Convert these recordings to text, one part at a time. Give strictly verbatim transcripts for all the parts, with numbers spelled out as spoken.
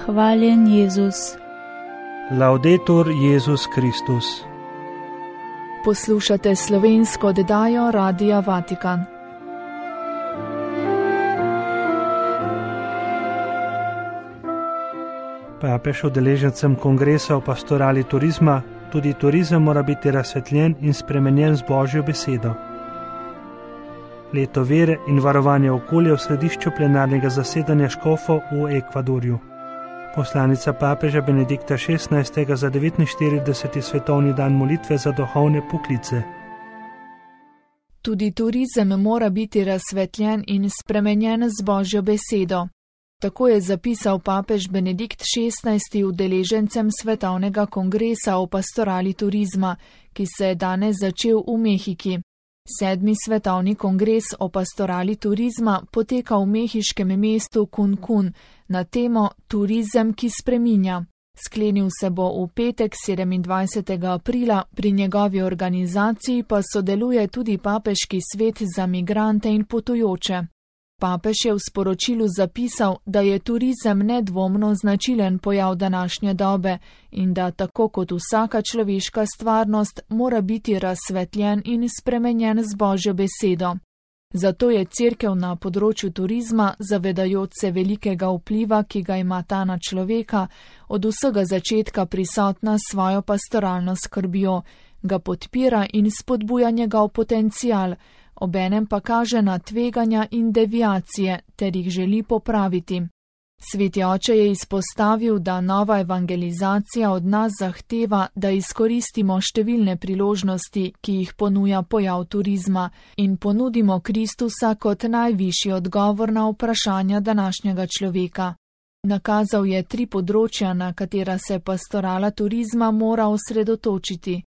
Hvaljen Jezus. Laudetur Jezus Kristus. Poslušate slovensko oddajo Radia Vatikan. Papež udeležencem kongresa o pastorali turizma: tudi turizem mora biti razsvetljen in spremenjen z Božjo besedo. Leto vere in varovanja okolja v središču plenarnega zasedanja škofov v Ekvadorju. Poslanica papeža Benedikta šestnajstega za devetinštirideseti svetovni dan molitve za duhovne poklice. Tudi turizem mora biti razsvetljen in spremenjen z Božjo besedo. Tako je zapisal papež Benedikt šestnajsti udeležencem svetovnega kongresa o pastorali turizma, ki se je danes začel v Mehiki. Sedmi svetovni kongres o pastorali turizma poteka v mehiškem mestu Cancún na temo Turizem, ki spreminja. Sklenil se bo v petek sedemindvajsetega aprila, pri njegovi organizaciji pa sodeluje tudi papeški svet za migrante in potujoče. Papež je v sporočilu zapisal, da je turizem nedvomno značilen pojav današnje dobe in da tako kot vsaka človeška stvarnost mora biti razsvetljen in spremenjen z Božjo besedo. Zato je Cerkev na področju turizma, zavedajoč se velikega vpliva, ki ga ima ta na človeka, od vsega začetka prisotna s svojo pastoralno skrbjo, ga podpira in spodbuja njegov potencial, obenem pa kaže na tveganja in deviacije ter jih želi popraviti. Sveti oče je izpostavil, da nova evangelizacija od nas zahteva, da izkoristimo številne priložnosti, ki jih ponuja pojav turizma, in ponudimo Kristusa kot najvišji odgovor na vprašanja današnjega človeka. Nakazal je tri področja, na katera se pastorala turizma mora osredotočiti.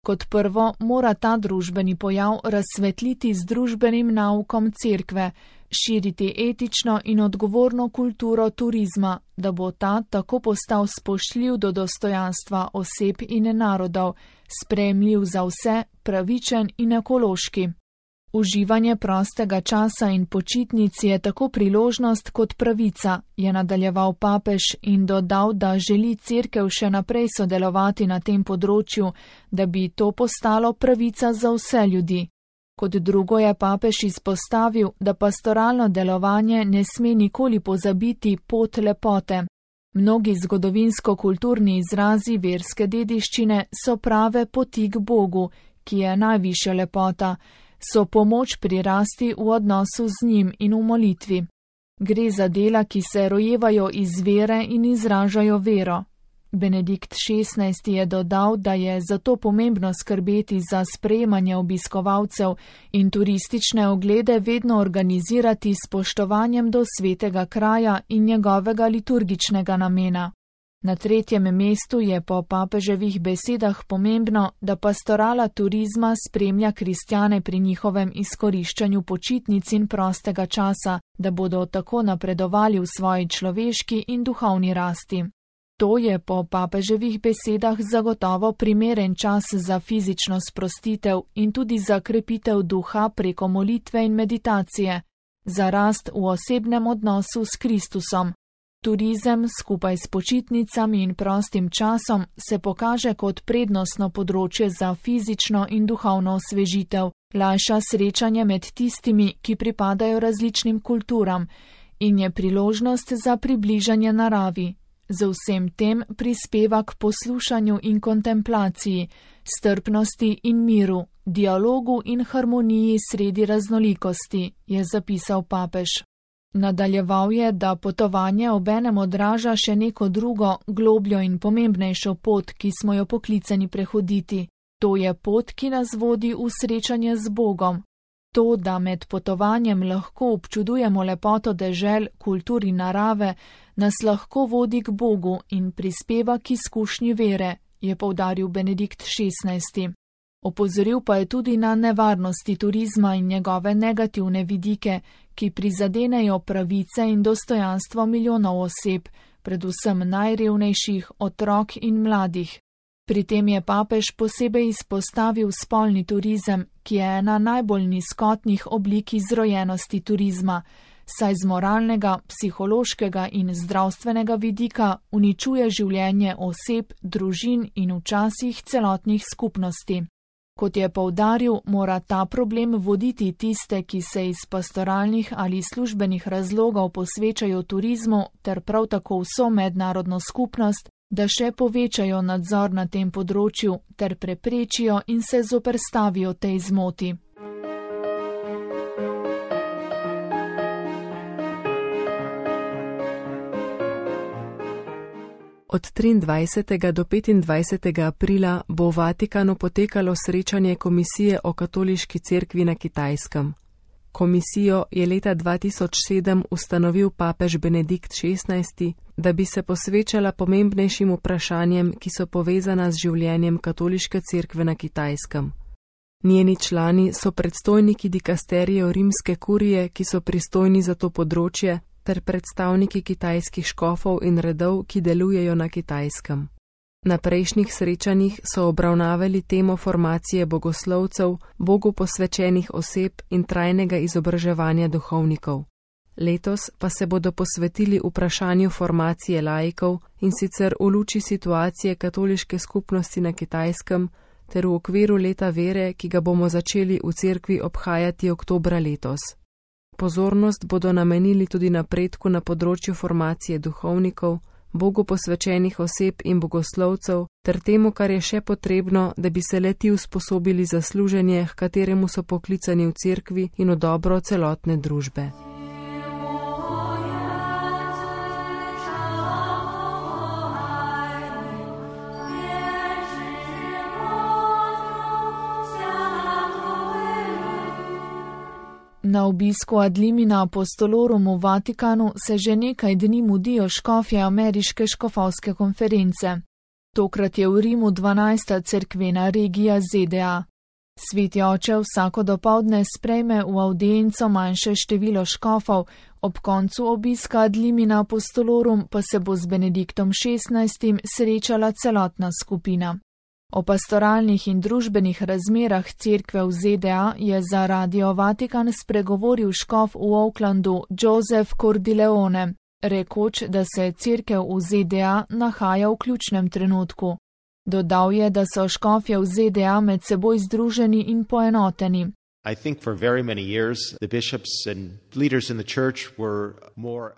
Kot prvo mora ta družbeni pojav razsvetliti z družbenim naukom cerkve, širiti etično in odgovorno kulturo turizma, da bo ta tako postal spoštljiv do dostojanstva oseb in narodov, sprejemljiv za vse, pravičen in ekološki. Uživanje prostega časa in počitnic je tako priložnost kot pravica, je nadaljeval papež in dodal, da želi cerkev še naprej sodelovati na tem področju, da bi to postalo pravica za vse ljudi. Kot drugo je papež izpostavil, da pastoralno delovanje ne sme nikoli pozabiti pot lepote. Mnogi zgodovinsko-kulturni izrazi verske dediščine so prave poti k Bogu, ki je najvišja lepota, so pomoč pri rasti v odnosu z njim in v molitvi. Gre za dela, ki se rojevajo iz vere in izražajo vero. Benedikt šestnajsti je dodal, da je zato pomembno skrbeti za sprejemanje obiskovalcev in turistične oglede vedno organizirati s spoštovanjem do svetega kraja in njegovega liturgičnega namena. Na tretjem mestu je po papeževih besedah pomembno, da pastorala turizma spremlja kristjane pri njihovem izkoriščanju počitnic in prostega časa, da bodo tako napredovali v svoji človeški in duhovni rasti. To je po papeževih besedah zagotovo primeren čas za fizično sprostitev in tudi za krepitev duha preko molitve in meditacije, za rast v osebnem odnosu s Kristusom. Turizem skupaj s počitnicami in prostim časom se pokaže kot prednostno področje za fizično in duhovno osvežitev, lajša srečanje med tistimi, ki pripadajo različnim kulturam, in je priložnost za približanje naravi. Z vsem tem prispeva k poslušanju in kontemplaciji, strpnosti in miru, dialogu in harmoniji sredi raznolikosti, je zapisal papež. Nadaljeval je, da potovanje obenem odraža še neko drugo, globljo in pomembnejšo pot, ki smo jo poklicani prehoditi. To je pot, ki nas vodi v srečanje z Bogom. To, da med potovanjem lahko občudujemo lepoto dežel, kultur in narave, nas lahko vodi k Bogu in prispeva k izkušnji vere, je poudaril Benedikt šestnajsti. Opozoril pa je tudi na nevarnosti turizma in njegove negativne vidike, ki prizadenejo pravice in dostojanstvo milijonov oseb, predvsem najrevnejših, otrok in mladih. Pri tem je papež posebej izpostavil spolni turizem, ki je ena najbolj nizkotnih oblik izrojenosti turizma, saj z moralnega, psihološkega in zdravstvenega vidika uničuje življenje oseb, družin in včasih celotnih skupnosti. Kot je poudaril, mora ta problem voditi tiste, ki se iz pastoralnih ali službenih razlogov posvečajo turizmu, ter prav tako vso mednarodno skupnost, da še povečajo nadzor na tem področju ter preprečijo in se zoperstavijo tej zmoti. Od triindvajsetega do petindvajsetega aprila bo v Vatikanu potekalo srečanje Komisije o katoliški cerkvi na Kitajskem. Komisijo je leta dva tisoč sedem ustanovil papež Benedikt šestnajsti, da bi se posvečala pomembnejšim vprašanjem, ki so povezana z življenjem katoliške cerkve na Kitajskem. Njeni člani so predstojniki dikasterijev rimske kurije, ki so pristojni za to področje, ter predstavniki kitajskih škofov in redov, ki delujejo na Kitajskem. Na prejšnjih srečanjih so obravnavali temo formacije bogoslovcev, Bogu posvečenih oseb in trajnega izobraževanja duhovnikov. Letos pa se bodo posvetili vprašanju formacije laikov, in sicer v luči situacije katoliške skupnosti na Kitajskem ter v okviru leta vere, ki ga bomo začeli v cerkvi obhajati oktobra letos. Pozornost bodo namenili tudi napredku na področju formacije duhovnikov, Bogu posvečenih oseb in bogoslovcev, ter temu, kar je še potrebno, da bi se le-ti usposobili za služenje, h kateremu so poklicani v cerkvi in v dobro celotne družbe. Na obisku ad limina apostolorum v Vatikanu se že nekaj dni mudijo škofje ameriške škofovske konference. Tokrat je v Rimu dvanajsta cerkvena regija Z D A. Sveti oče vsako dopoldne sprejme v avdienco manjše število škofov, ob koncu obiska ad limina apostolorum pa se bo z Benediktom šestnajstim srečala celotna skupina. O pastoralnih in družbenih razmerah cerkve v Z D A je za Radio Vatikan spregovoril škof v Oaklandu Joseph Cordileone, rekoč, da se cerkev v Z D A nahaja v ključnem trenutku. Dodal je, da so škofje v Z D A med seboj združeni in poenoteni. I think for very many years the bishops and leaders in the church were more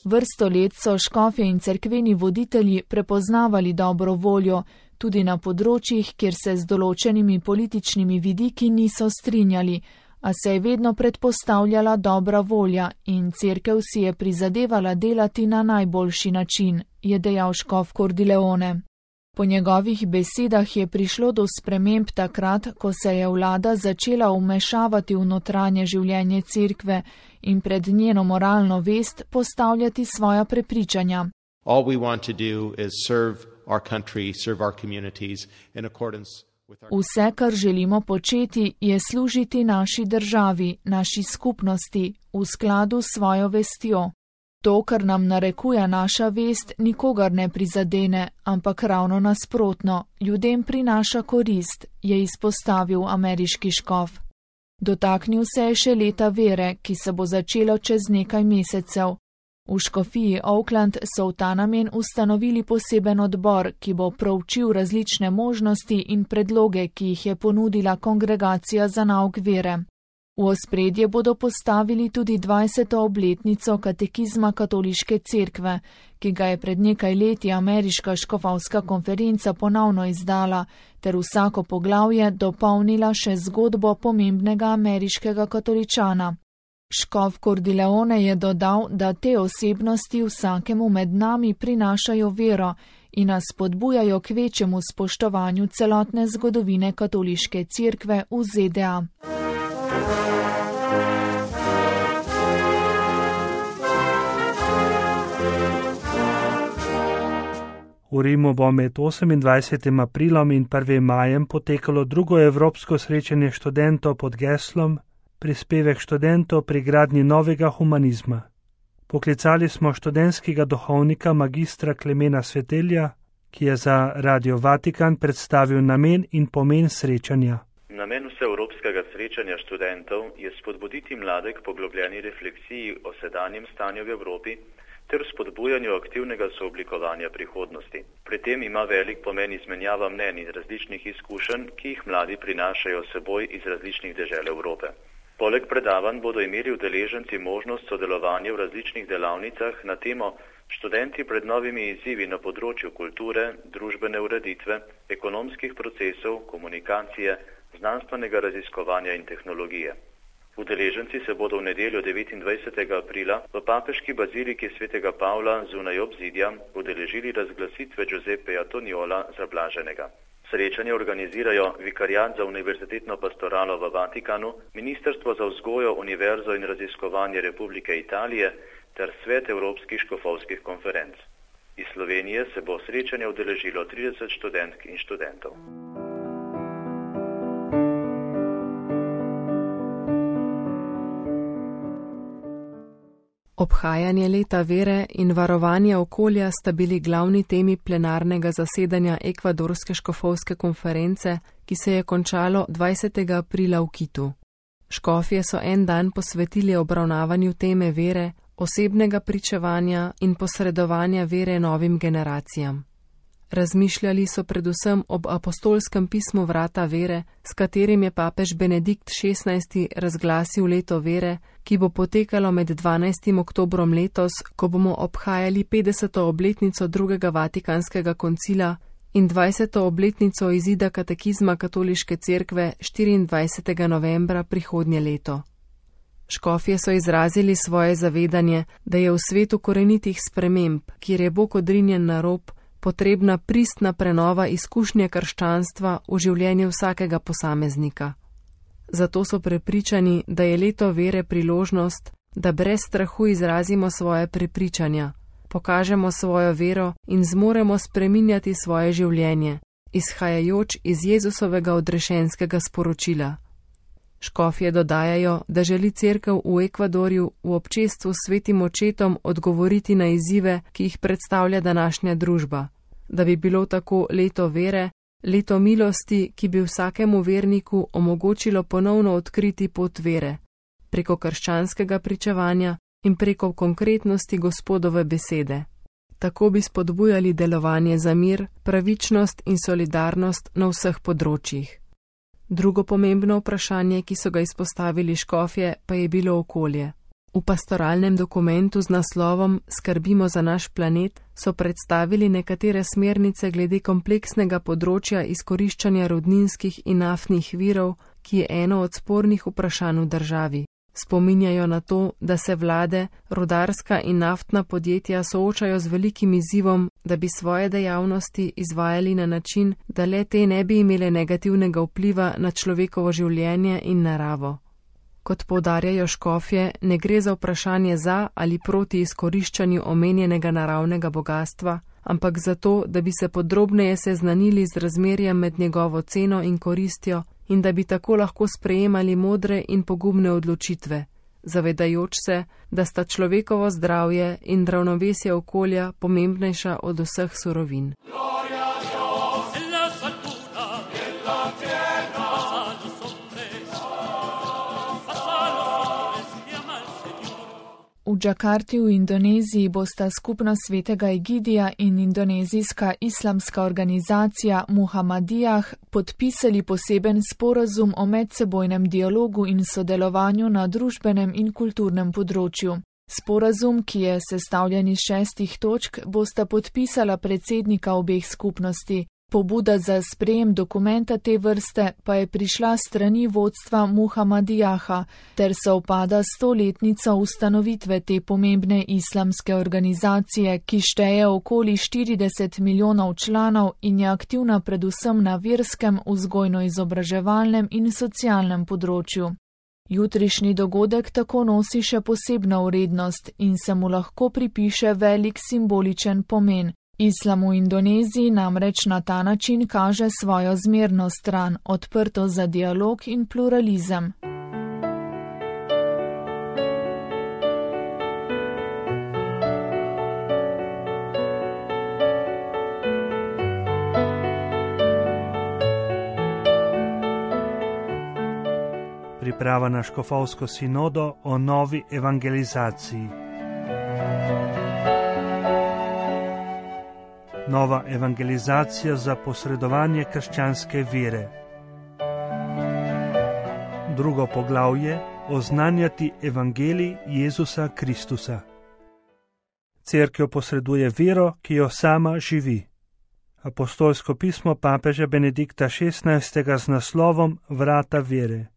Vrsto let so škofje in cerkveni voditelji prepoznavali dobro voljo, tudi na področjih, kjer se z določenimi političnimi vidiki niso strinjali, a se je vedno predpostavljala dobra volja in cerkev si je prizadevala delati na najboljši način, je dejal škof Cordileone. Po njegovih besedah je prišlo do sprememb takrat, ko se je vlada začela vmešavati v notranje življenje cerkve in pred njeno moralno vest postavljati svoja prepričanja. All we want to do is serve our country, serve our communities in accordance with our... Vse, kar želimo početi, je služiti naši državi, naši skupnosti, v skladu s svojo vestjo. To, kar nam narekuje naša vest, nikogar ne prizadene, ampak ravno nasprotno, ljudem prinaša korist, je izpostavil ameriški škof. Dotaknil se je še leta vere, ki se bo začelo čez nekaj mesecev. V škofiji Oakland so v ta namen ustanovili poseben odbor, ki bo proučil različne možnosti in predloge, ki jih je ponudila kongregacija za nauk vere. V ospredje bodo postavili tudi dvajseto obletnico katekizma katoliške cerkve, ki ga je pred nekaj leti ameriška škofovska konferenca ponovno izdala, ter vsako poglavje dopolnila še zgodbo pomembnega ameriškega katoličana. Škof Cordileone je dodal, da te osebnosti vsakemu med nami prinašajo vero in nas spodbujajo k večjemu spoštovanju celotne zgodovine katoliške cerkve v Z D A. V Rimu bo med osemindvajsetim aprilom in prvim majem potekalo drugo evropsko srečanje študentov pod geslom Prispevek študentov pri gradnji novega humanizma. Poklicali smo študentskega duhovnika magistra Klemena Svetelja, ki je za Radio Vatikan predstavil namen in pomen srečanja. Namen vse Evropske ekvadorskega srečanja študentov je spodbuditi mlade k poglobljeni refleksiji o sedanjem stanju v Evropi ter spodbujanju aktivnega sooblikovanja prihodnosti. Pri tem ima velik pomen izmenjava mnenj in različnih izkušenj, ki jih mladi prinašajo seboj iz različnih dežel Evrope. Poleg predavanj bodo imeli udeleženci možnost sodelovanja v različnih delavnicah na temo Študenti pred novimi izzivi na področju kulture, družbene ureditve, ekonomskih procesov, komunikacije, znanstvenega raziskovanja in tehnologije. Udeleženci se bodo v nedeljo devetindvajsetega aprila v papeški baziliki svetega Pavla zunaj obzidja udeležili razglasitve Giuseppeja Toniola za blaženega. Srečanje organizirajo Vikariat za univerzitetno pastoralo v Vatikanu, Ministrstvo za vzgojo, univerzo in raziskovanje Republike Italije ter Svet Evropskih škofovskih konferenc. Iz Slovenije se bo srečanje udeležilo trideset študentk in študentov. Obhajanje leta vere in varovanje okolja sta bili glavni temi plenarnega zasedanja Ekvadorske škofovske konference, ki se je končalo dvajsetega aprila v Kitu. Škofje so en dan posvetili obravnavanju teme vere, osebnega pričevanja in posredovanja vere novim generacijam. Razmišljali so predvsem ob apostolskem pismu Vrata vere, s katerim je papež Benedikt šestnajsti razglasil leto vere, ki bo potekalo med dvanajstim oktobrom letos, ko bomo obhajali petdeseto obletnico drugega Vatikanskega koncila in dvajseto obletnico izida katekizma Katoliške cerkve štiriindvajsetega novembra prihodnje leto. Škofje so izrazili svoje zavedanje, da je v svetu korenitih sprememb, kjer je Bog odrinjen na rob, potrebna pristna prenova izkušnje krščanstva v življenju vsakega posameznika. Zato so prepričani, da je leto vere priložnost, da brez strahu izrazimo svoje prepričanja, pokažemo svojo vero in zmoremo spreminjati svoje življenje, izhajajoč iz Jezusovega odrešenskega sporočila. Škofje dodajajo, da želi cerkev v Ekvadorju v občestvu s svetim očetom odgovoriti na izzive, ki jih predstavlja današnja družba, da bi bilo tako leto vere, leto milosti, ki bi vsakemu verniku omogočilo ponovno odkriti pot vere, preko krščanskega pričevanja in preko konkretnosti Gospodove besede. Tako bi spodbujali delovanje za mir, pravičnost in solidarnost na vseh področjih. Drugo pomembno vprašanje, ki so ga izpostavili škofje, pa je bilo okolje. V pastoralnem dokumentu z naslovom Skrbimo za naš planet so predstavili nekatere smernice glede kompleksnega področja izkoriščanja rudninskih in naftnih virov, ki je eno od spornih vprašanj v državi. Spominjajo na to, da se vlade, rudarska in naftna podjetja soočajo z velikim izzivom, da bi svoje dejavnosti izvajali na način, da le te ne bi imele negativnega vpliva na človekovo življenje in naravo. Kot poudarjajo škofje, ne gre za vprašanje za ali proti izkoriščanju omenjenega naravnega bogastva, ampak za to, da bi se podrobneje seznanili z razmerjem med njegovo ceno in koristjo in da bi tako lahko sprejemali modre in pogumne odločitve, zavedajoč se, da sta človekovo zdravje in ravnovesje okolja pomembnejša od vseh surovin. V Džakarti v Indoneziji bosta skupnost Svetega Egidija in indonezijska islamska organizacija Muhammadijah podpisali poseben sporazum o medsebojnem dialogu in sodelovanju na družbenem in kulturnem področju. Sporazum, ki je sestavljen iz šestih točk, bosta podpisala predsednika obeh skupnosti. Pobuda za sprejem dokumenta te vrste pa je prišla strani vodstva Muhammadijaha ter sovpada stoletnico ustanovitve te pomembne islamske organizacije, ki šteje okoli štirideset milijonov članov in je aktivna predvsem na verskem, vzgojno-izobraževalnem in socialnem področju. Jutrišnji dogodek tako nosi še posebno vrednost in se mu lahko pripiše velik simboličen pomen. Islam v Indoneziji namreč na ta način kaže svojo zmerno stran, odprto za dialog in pluralizem. priprava na škofovsko sinodo o novi evangelizaciji. Nova evangelizacija za posredovanje krščanske vere. Drugo poglavje: oznanjati evangelij Jezusa Kristusa. Cerkev posreduje vero, ki jo sama živi. Apostolsko pismo papeža Benedikta šestnajstega z naslovom Vrata vere.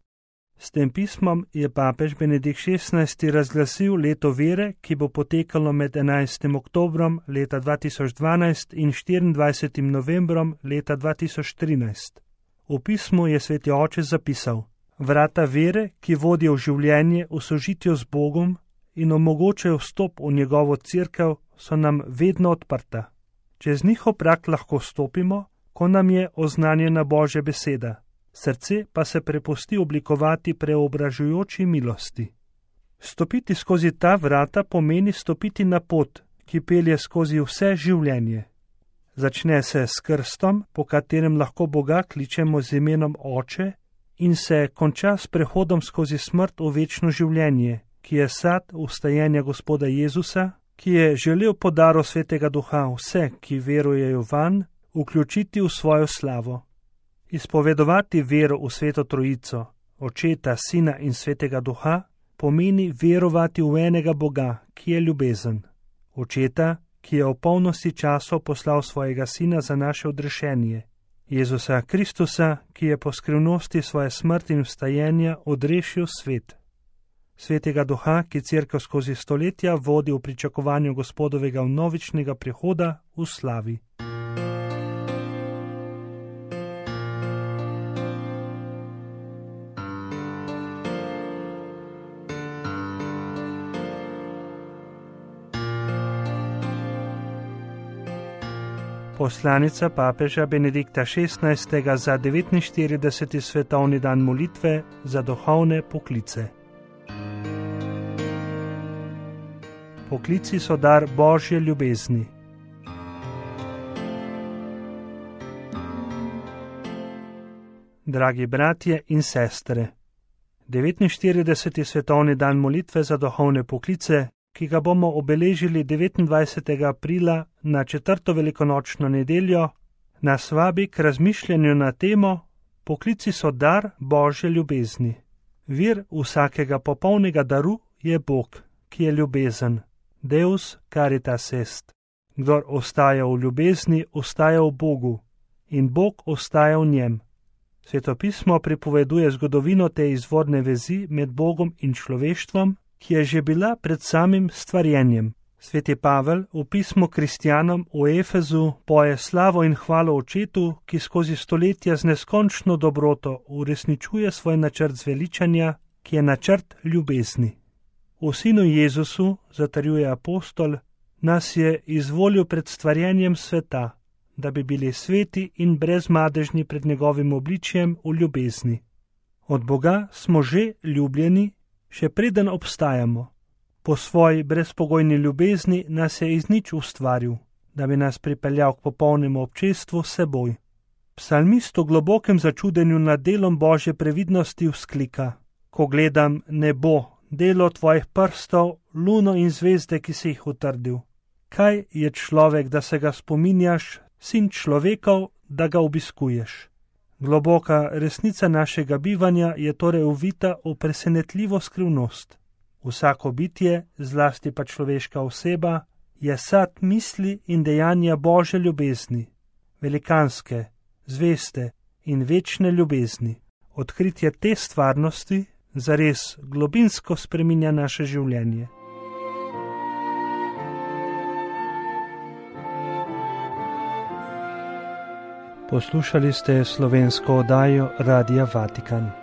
S tem pismom je papež Benedikt šestnajsti razglasil leto vere, ki bo potekalo med enajstim oktobrom leta dva tisoč dvanajst in štiriindvajsetim novembrom leta dva tisoč trinajst. V pismu je sveti oče zapisal: vrata vere, ki vodijo v življenje v sožitju z Bogom in omogočajo vstop v njegovo cerkev, so nam vedno odprta. Čez njihov prag lahko stopimo, ko nam je oznanjena Božja beseda, srce pa se prepusti oblikovati preobražujoči milosti. Stopiti skozi ta vrata pomeni stopiti na pot, ki pelje skozi vse življenje. Začne se s krstom, po katerem lahko Boga kličemo z imenom Oče, in se konča s prehodom skozi smrt v večno življenje, ki je sad vstajenja Gospoda Jezusa, ki je želel po daru Svetega Duha vse, ki verujejo vanj, vključiti v svojo slavo. Izpovedovati vero v Sveto Trojico, Očeta, Sina in Svetega Duha, pomeni verovati v enega Boga, ki je ljubezen. Očeta, ki je v polnosti časov poslal svojega Sina za naše odrešenje. Jezusa Kristusa, ki je po skrivnosti svoje smrti in vstajenja odrešil svet. Svetega Duha, ki cerkev skozi stoletja vodi v pričakovanju Gospodovega vnovičnega prihoda v slavi. Poslanica papeža Benedikta šestnajstega za devetinštirideseti svetovni dan molitve za duhovne poklice. Poklici so dar Božje ljubezni. Dragi bratje in sestre, devetinštirideseti svetovni dan molitve za duhovne poklice, ki ga bomo obeležili devetindvajsetega aprila na četrto velikonočno nedeljo, nas vabi k razmišljanju na temo Poklici so dar Božje ljubezni. Vir vsakega popolnega daru je Bog, ki je ljubezen. Deus caritas est. Kdor ostaja v ljubezni, ostaja v Bogu in Bog ostaja v njem. Sveto pismo pripoveduje zgodovino te izvorne vezi med Bogom in človeštvom, ki je že bila pred samim stvarjenjem. Sveti Pavel v pismu kristjanom v Efezu poje slavo in hvalo Očetu, ki skozi stoletja z neskončno dobroto uresničuje svoj načrt zveličanja, ki je načrt ljubezni. V Sinu Jezusu, zatrjuje apostol, nas je izvolil pred stvarjenjem sveta, da bi bili sveti in brezmadežni pred njegovim obličjem v ljubezni. Od Boga smo že ljubljeni, še preden obstajamo. Po svoji brezpogojni ljubezni nas je iz nič ustvaril, da bi nas pripeljal k popolnemu občestvu s seboj. Psalmist v globokem začudenju nad delom Božje previdnosti vzklika: ko gledam nebo, delo tvojih prstov, luno in zvezde, ki si jih utrdil. Kaj je človek, da se ga spominjaš, sin človekov, da ga obiskuješ? Globoka resnica našega bivanja je torej uvita v presenetljivo skrivnost. Vsako bitje, zlasti pa človeška oseba, je sad misli in dejanja Božje ljubezni, velikanske, zveste in večne ljubezni. Odkritje te stvarnosti zares globinsko spreminja naše življenje. Poslušali ste slovensko oddajo Radia Vatikan.